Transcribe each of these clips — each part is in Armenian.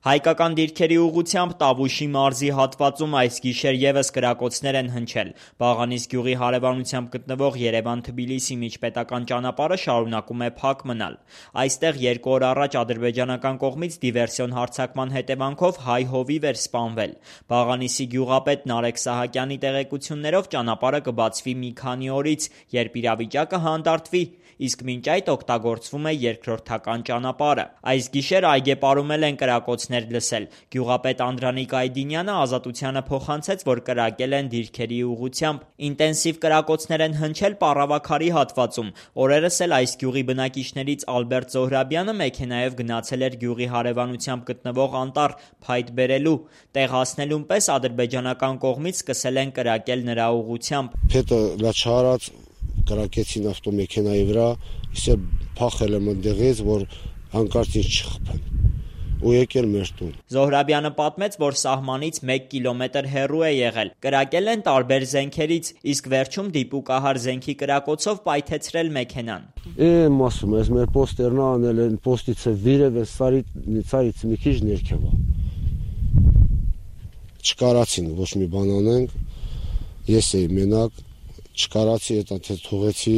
Հայկական դիրքերի ուղղությամբ Տավուշի մարզի հատվածում այս գիշեր ևս կրակոցներ են հնչել։ Բաղանիս գյուղի հարևանությամբ գտնվող Երևան-Թբիլիսի միջպետական ճանապարհը շարունակում է փակ մնալ։ Այստեղ 2 օր առաջ ադրբեջանական կողմից դիվերսիոն հարձակման հետևանքով հայ հովիվ էր սպանվել։ Բաղանիսի գյուղապետ Նարեկ Սահակյանի տեղեկություններով ճանապարհը կբացվի մի քանի օրից, երբ իրավիճակը հանդարտվի, իսկ մինչ այդ օգտագործվում է երկրորդական ճանապարհը։ Այս գիշեր այգեպարում են կրակոցներ լսել։ Գյուղապետ Անդրանիկ Այդինյանը Ազատությանը փոխանցեց, որ կրակել են դիրքերի ուղղությամբ։ Ինտենսիվ կրակոցներ են հնչել Պառավաքարի հատվածում։ Օրերս էլ այս գյուղի բնակիչներից Ալբերտ Զոհրաբյանը մեքենայով գնացել էր գյուղի հարևանությամբ գտնվող անտառ փայտ բերելու։ Տեղ հասնելուն պես ադրբեջանական կողմից սկսել են կրակել նրա ուղղությամբ։ Փետը լաչարած կրակեցին ավտոմեքենայի վրա, իսկ փախել եմ այնտեղից, որ հանկարծ ինձ չխփեն ու եկել մեր տուն։ Զոհրաբյանը պատմեց, որ սահմանից 1 կիլոմետր հեռու է եղել։ Կրակել են տարբեր զենքերից, իսկ վերջում դիպուկահար զենքի կրակոցով պայթեցրել մեքենան։ Ասում ես, մեր պոստերն անել են, պոստից է վիրև է, սարից մի քիչ ներքև է։ Չկարացին, ոչ մի բան անենք, ես էի մենակ, չկարացի, հետո թողեցի,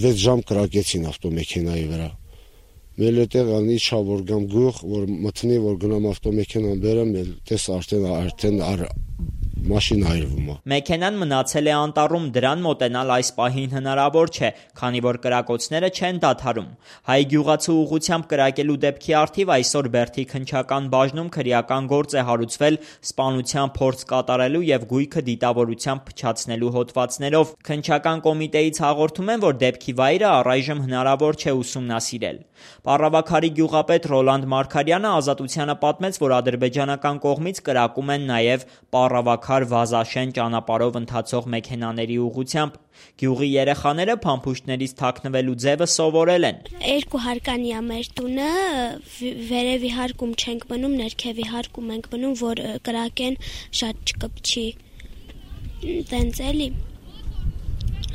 6 ժամ կրակեցին ավտոմեքենայի վրա։ Մեր այդտեղ անի չա որ գամ գյուղ, որ մտնի, որ գնամ ավտոմեքենան բերեմ, տես արդեն մաշին այրվում է։ Մեքենան մնացել է անտառում, դրան մոտենալ այս պահին հնարավոր չէ, քանի որ կրակոցները չեն դադարում։ Հայ գյուղացու ուղղությամբ կրակելու դեպքի առթիվ այսօր Բերդի քննչական բաժնում քրեական գործ է հարուցվել սպանության փորձ կատարելու եւ գույքը դիտավորությամբ փչացնելու հոդվածներով։ Քննչական կոմիտեից հաղորդում են, որ դեպքի վայրը առայժմ հնարավոր չէ ուսումնասիրել։ Պառավաքարի գյուղապետ Ռոլանդ Մարգարյանը Ազատությանը պատմեց, որ ադրբեջանական կողմից կրակում են նաև Պառավաքար-Վազաշեն ճանապարհով ընթացող մեքենաների ուղղությամբ։ Գյուղի երեխաները փամփուշտներից թաքնվելու ձևը սովորել են։ 2 հարկանի է մեր տունը, վերևի հարկում չենք մնում, ներքևի հարկում ենք մնում, որ կրակեն շատ չկպչի։ Տենց էլի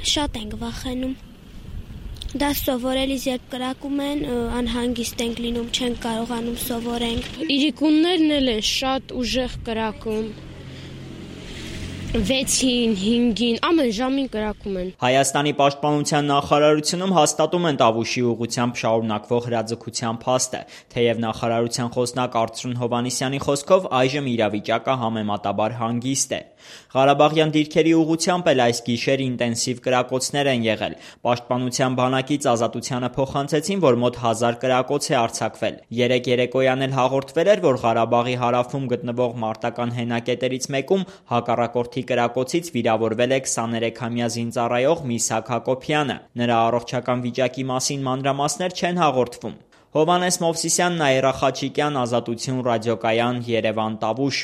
շատ ենք վախենում։ Դա սովորելիս երբ կրակում են, անհանգիստ ենք լինում, չենք կարողանում սովորենք։ Իրիկուններն էլ են շատ ուժեղ կրակում։ 6-ին, 5-ին, ամեն ժամին կրակում են։ Հայաստանի պաշտպանության նախարարությունում հաստատում են Տավուշի ուղղությամբ շարունակվող հրաձգության փաստը, թեև նախարարության խոսնակ Արծրուն Հովհաննիսյանի խոսքով այժմ իրավիճակը համեմատաբար հանգիստ է։ Ղարաբաղյան դիրքերի ուղղությամբ էլ այս գիշեր ինտենսիվ կրակոցներ են եղել։ Պաշտպանության բանակից Ազատությանը փոխանցեցին, որ մոտ 1000 կրակոց է արձակվել։ Երեկ երեկոյան էլ հաղորդվել էր, որ Ղարաբաղի հարավում գտնվող մարտական հենակետերից մեկում հակառակորդի կրակոցից վիրավորվել է 23-ամյա զինծառայող Միսակ Հակոբյանը։ Նրա առողջական վիճակի մասին մանրամասներ չեն հաղորդվում։ Հովհաննես Մովսիսյան, Նաիրա Խաչիկյան, Ազատություն ռադիոկայան, Երևան, Տավուշ։